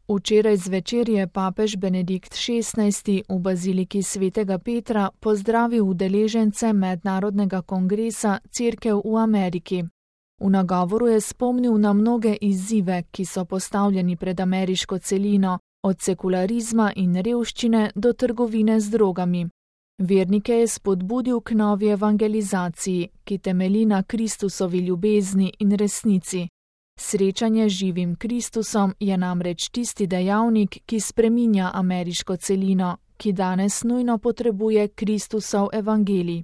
Včeraj zvečer je papež Benedikt XVI v baziliki svetega Petra pozdravil udeležence mednarodnega kongresa Cerkev v Ameriki. V nagovoru je spomnil na mnoge izzive, ki so postavljeni pred ameriško celino, od sekularizma in revščine do trgovine z drogami. Vernike je spodbudil k novi evangelizaciji, ki temelji na Kristusovi ljubezni in resnici. Srečanje z živim Kristusom je namreč tisti dejavnik, ki spreminja ameriško celino, ki danes nujno potrebuje Kristusov evangelij.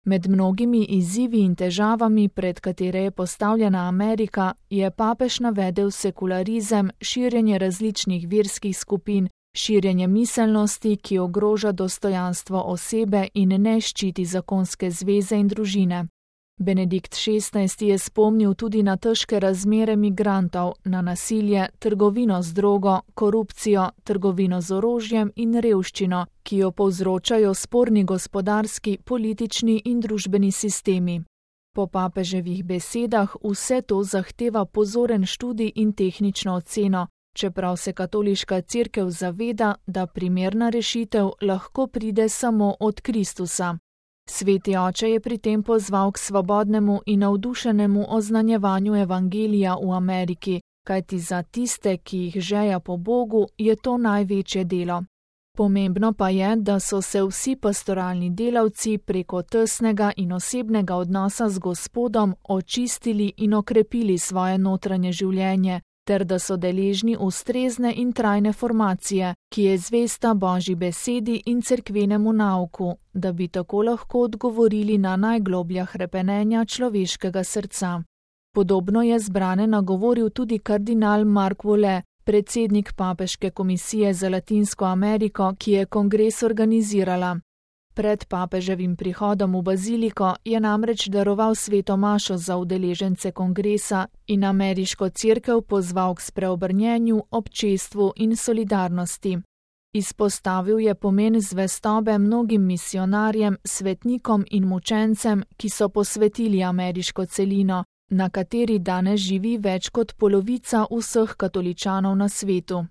Med mnogimi izzivi in težavami, pred katere je postavljena Amerika, je papež navedel sekularizem, širjenje različnih verskih skupin, širjenje miselnosti, ki ogroža dostojanstvo osebe in ne ščiti zakonske zveze in družine. Benedikt XVI je spomnil tudi na težke razmere migrantov, na nasilje, trgovino z drogo, korupcijo, trgovino z orožjem in revščino, ki jo povzročajo sporni gospodarski, politični in družbeni sistemi. Po papeževih besedah vse to zahteva pozoren študij in tehnično oceno, čeprav se katoliška cerkev zaveda, da primerna rešitev lahko pride samo od Kristusa. Sveti oče je pri tem pozval k svobodnemu in navdušenemu oznanjevanju evangelija v Ameriki, kajti za tiste, ki jih žeja po Bogu, je to največje delo. Pomembno pa je, da so se vsi pastoralni delavci preko tesnega in osebnega odnosa z Gospodom očistili in okrepili svoje notranje življenje, ter da so deležni ustrezne in trajne formacije, ki je zvesta Božji besedi in cerkvenemu nauku, da bi tako lahko odgovorili na najgloblja hrepenenja človeškega srca. Podobno je zbrane nagovoril tudi kardinal Mark Vole, predsednik Papeške komisije za Latinsko Ameriko, ki je kongres organizirala. Pred papeževim prihodom v baziliko je namreč daroval sveto mašo za udeležence kongresa in ameriško cerkev pozval k spreobrnjenju, občestvu in solidarnosti. Izpostavil je pomen zvestobe mnogim misionarjem, svetnikom in mučencem, ki so posvetili ameriško celino, na kateri danes živi več kot polovica vseh katoličanov na svetu.